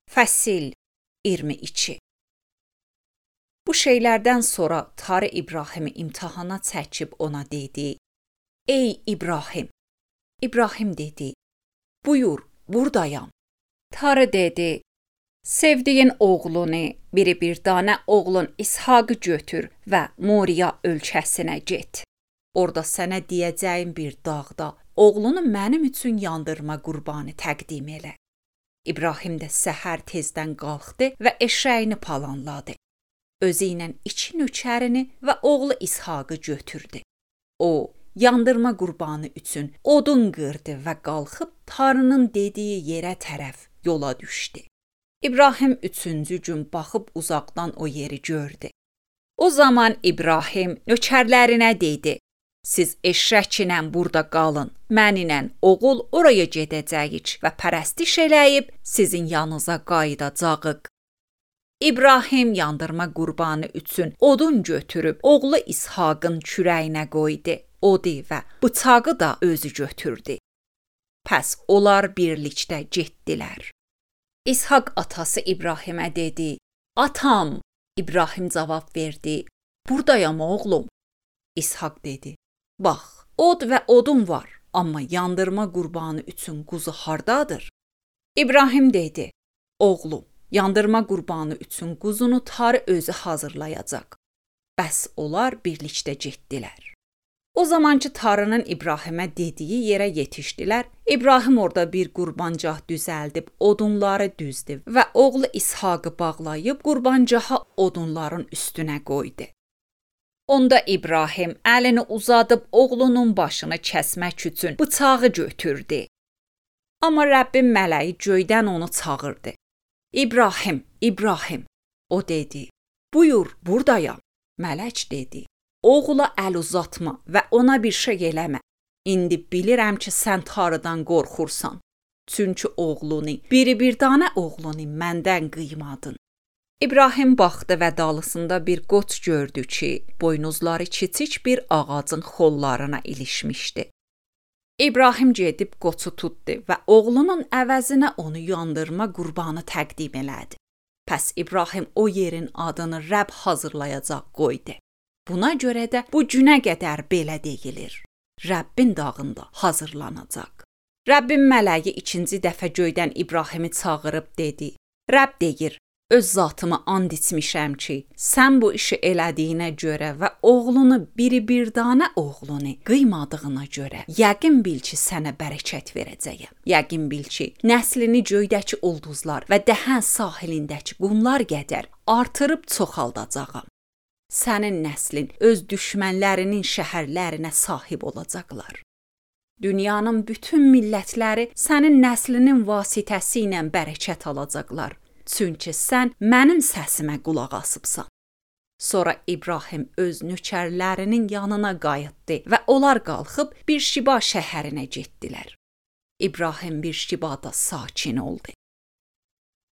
Fəsil 22. Bu şeylərdən sonra Tarı İbrahimi imtahana çəkib ona dedi: Ey İbrahim! İbrahim dedi: Buyur, buradayam. Tarı dedi: Sevdiyin oğlunu, bir dənə oğlun İshaqı götür və Moriya ölkəsinə get. Orada sənə deyəcəyim bir dağda oğlunu mənim üçün yandırma qurbanı təqdim elə. İbrahim də səhər tezdən qalxdı və eşəyini palanladı. Özü ilə 2 nökərini və oğlu İshaqı götürdü. O, yandırma qurbanı üçün odun qırdı və qalxıb Tarının dediyi yerə tərəf yola düşdü. İbrahim 3-cü gün baxıb uzaqdan o yeri gördü. O zaman İbrahim nökərlərinə dedi: Siz eşrəklə burada qalın, mənlə oğul oraya gedəcəyik və pərəstiş eləyib sizin yanınıza qayıdacağıq. İbrahim yandırma qurbanı üçün odun götürüb oğlu İshaqın kürəyinə qoydu, odu və bıçağı da özü götürdü. Pəs onlar birlikdə getdilər. İshaq atası İbrahimə dedi: Atam! İbrahim cavab verdi: Buradayam oğlum. İshaq dedi: Bax, od və odun var, amma yandırma qurbanı üçün quzu hardadır? İbrahim dedi: Oğlum, yandırma qurbanı üçün quzunu Tarı özü hazırlayacaq. Bəs onlar birlikdə getdilər. O zamankı Tarının İbrahimə dediyi yerə yetişdilər. İbrahim orada bir qurbancah düzəldib odunları düzdü və oğlu İshaqı bağlayıb qurbancaha odunların üstünə qoydu. Onda İbrahim əlini uzadıb oğlunun başını kəsmək üçün bıçağı götürdü. Amma Rəbbin mələyi göydən onu çağırdı. İbrahim, İbrahim! O dedi: Buyur, buradayam. Mələk dedi: Oğula əl uzatma və ona bir şey eləmə. İndi bilirəm ki, sən Tarıdan qorxursan. Çünki oğlunu, bir dənə oğlunu məndən qıymadın. İbrahim baxdı və dalısında bir qoç gördü ki, boynuzları kiçik bir ağacın xollarına ilişmişdi. İbrahim gedib qoçu tutdu və oğlunun əvəzinə onu yandırma qurbanı təqdim elədi. Pəs İbrahim o yerin adını Rəbb hazırlayacaq qoydu. Buna görə də bu günə qədər belə deyilir: Rəbbin dağında hazırlanacaq. Rəbbin mələyi 2-ci dəfə göydən İbrahimi çağırıb dedi: Rəbb deyir: Öz zatımı and içmişəm ki, sən bu işi elədiyinə görə və oğlunu bir dənə oğlunu qıymadığına görə yəqin bil ki, sənə bərəkət verəcəyəm. Yəqin bil ki, nəslini göydəki ulduzlar və dəhən sahilindəki qumlar qədər artırıb çoxaldacağam. Sənin nəslin öz düşmənlərinin şəhərlərinə sahib olacaqlar. Dünyanın bütün millətləri sənin nəslinin vasitəsi ilə bərəkət alacaqlar. Çünki sən mənim səsimə qulaq asıbsan. Sonra İbrahim öz nökərlərinin yanına qayıtdı və onlar qalxıb Birşiba şəhərinə getdilər. İbrahim Birşibada sakin oldu.